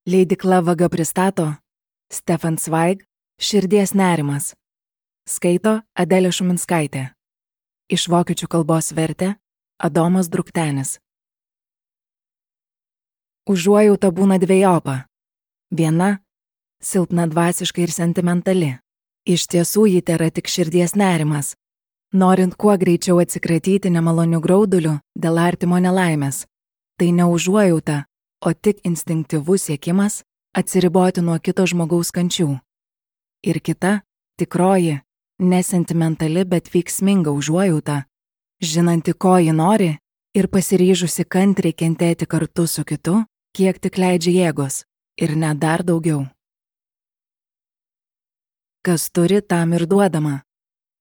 Leidykla Vaga pristato Stefan Zweig Širdies nerimas. Skaito Adelė Šuminskaitė. Iš vokiečių kalbos vertė Adomas Druktenis. Užuojauta būna dvejopa. Viena – silpna dvasiškai ir sentimentali. Iš tiesų ji tėra tik širdies nerimas, norint kuo greičiau atsikratyti nemalonių graudulių dėl artimo nelaimės. Tai ne užuojauta, o tik instinktyvus siekimas atsiriboti nuo kito žmogaus kančių. Ir kita, tikroji, nesentimentali, bet veiksminga užuojauta, žinanti, ko ji nori ir pasiryžusi kantriai kentėti kartu su kitu, kiek tik leidžia jėgos, ir net dar daugiau. Kas turi, tam ir duodama.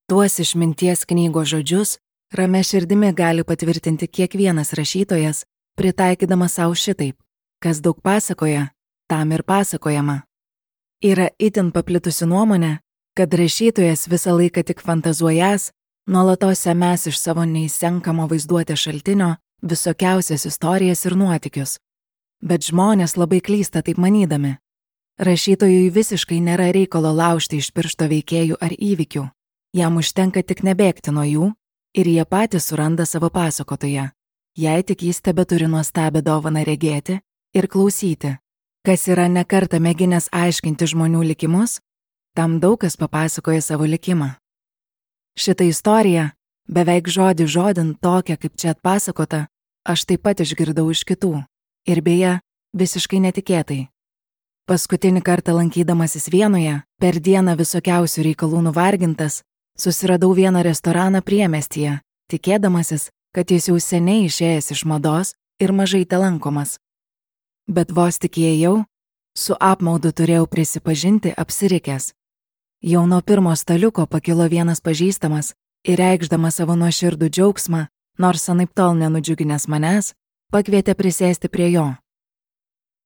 Tuos išminties knygos žodžius ramia širdimi gali patvirtinti kiekvienas rašytojas, pritaikydamas savo šitaip. Kas daug pasakoja, tam ir pasakojama. Yra itin paplitusi nuomonė, kad rašytojas visą laiką tik fantazuojas, nuolatos semės iš savo neįsenkamo vaizduotės šaltinio visokiausias istorijas ir nuotykius. Bet žmonės labai klysta taip manydami. Rašytojui visiškai nėra reikalo laužti iš piršto veikėjų ar įvykių. Jam užtenka tik nebėgti nuo jų ir jie patys suranda savo pasakotoją, jei tik jis tebeturi nuostabią dovaną regėti ir klausyti. Kas yra nekartą mėginęs aiškinti žmonių likimus, tam daug kas papasakoja savo likimą. Šitą istoriją, beveik žodį žodin tokią, kaip čia atpasakota, aš taip pat išgirdau iš kitų. Ir beje, visiškai netikėtai. Paskutinį kartą lankydamasis Vienoje, per dieną visokiausių reikalų nuvargintas, susiradau vieną restoraną priemestyje, tikėdamasis, kad jis jau seniai išėjęs iš mados ir mažai telankomas. Bet vos tik įėjau, su apmaudu turėjau prisipažinti apsirikęs. Jau nuo pirmo staliuko pakilo vienas pažįstamas ir reikšdamas savo nuoširdų džiaugsmą, nors anaiptol nenudžiuginęs manęs, pakvietė prisėsti prie jo.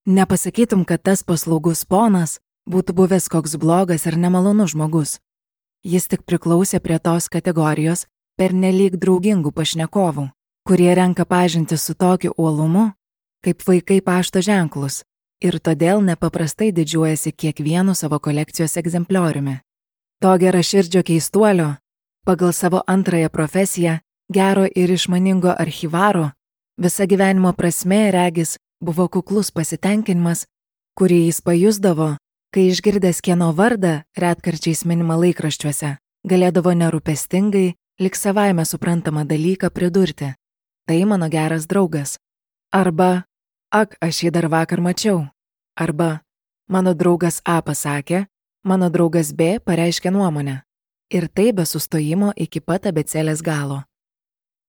Nepasakytum, kad tas paslaugus ponas būtų buvęs koks blogas ir nemalonus žmogus. Jis tik priklausė prie tos kategorijos pernelyg draugingų pašnekovų, kurie renka pažinti su tokiu uolumu, kaip vaikai pašto ženklus, ir todėl nepaprastai didžiuojasi kiekvienu savo kolekcijos egzemplioriumi. To geraširdžio keistuolio, pagal savo antrąją profesiją, gero ir išmaningo archyvaro, visa gyvenimo prasmė, regis, buvo kuklus pasitenkinimas, kurį jis pajusdavo, kai išgirdęs kieno vardą retkarčiais minimą laikraščiuose, galėdavo nerūpestingai, lyg savaime suprantamą dalyką pridurti. Tai mano geras draugas. Arba, ak, aš jį dar vakar mačiau. Arba, mano draugas A pasakė, mano draugas B pareiškė nuomonę. Ir tai be sustojimo iki pat abėcėlės galo.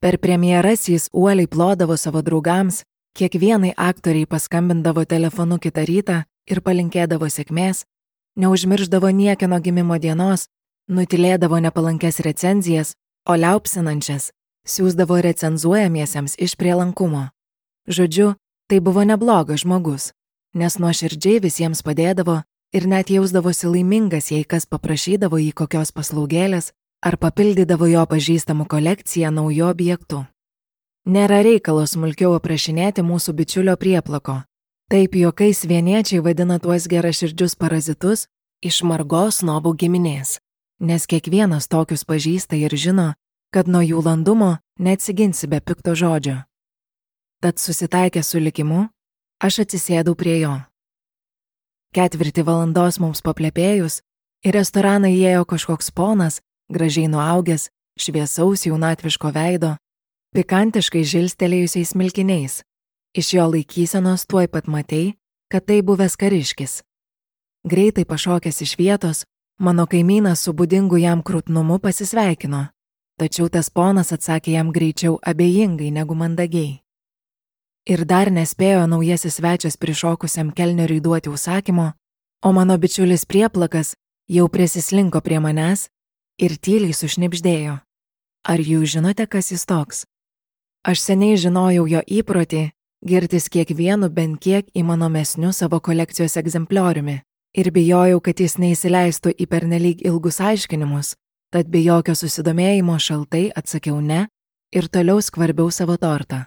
Per premjeras jis uoliai plodavo savo draugams, kiekvienai aktoriai paskambindavo telefonu kitą rytą ir palinkėdavo sėkmės, neužmirždavo niekieno gimimo dienos, nutilėdavo nepalankes recenzijas, o liaupsinančias siųsdavo recenzuojamiesiems iš prielankumo. Žodžiu, tai buvo neblogas žmogus, nes nuoširdžiai visiems padėdavo ir net jausdavosi laimingas, jei kas paprašydavo jį kokios paslaugėlės ar papildydavo jo pažįstamų kolekciją naujų objektų. Nėra reikalo smulkiau aprašinėti mūsų bičiulio prieplako. Taip juokais vieniečiai vadina tuos geraširdžius parazitus iš margos snobų giminės, nes kiekvienas tokius pažįsta ir žino, kad nuo jų landumo neatsiginsi be pikto žodžio. Tad susitaikęs su likimu, aš atsisėdau prie jo. 4 valandos mums paplepėjus, į restoraną įėjo kažkoks ponas, gražiai nuaugęs, šviesaus jaunatviško veido, pikantiškai žilstelėjusiais smilkiniais. Iš jo laikysenos tuoj pat matei, kad tai buvęs kariškis. Greitai pašokęs iš vietos, mano kaimynas su būdingu jam krūtnumu pasisveikino, tačiau tas ponas atsakė jam greičiau abejingai negu mandagiai. Ir dar nespėjo naujasis svečias prišokusiam kelneriui duoti užsakymo, o mano bičiulis prieplakas jau prisislinko prie manęs ir tyliai sušnibždėjo. Ar jūs žinote, kas jis toks? Aš seniai žinojau jo įprotį girtis kiekvienu bent kiek įmanomesniu savo kolekcijos egzemplioriumi ir bijojau, kad jis neįsileistų į pernelyg ilgus aiškinimus, tad be jokio susidomėjimo šaltai atsakiau ne ir toliau skvarbiau savo tortą.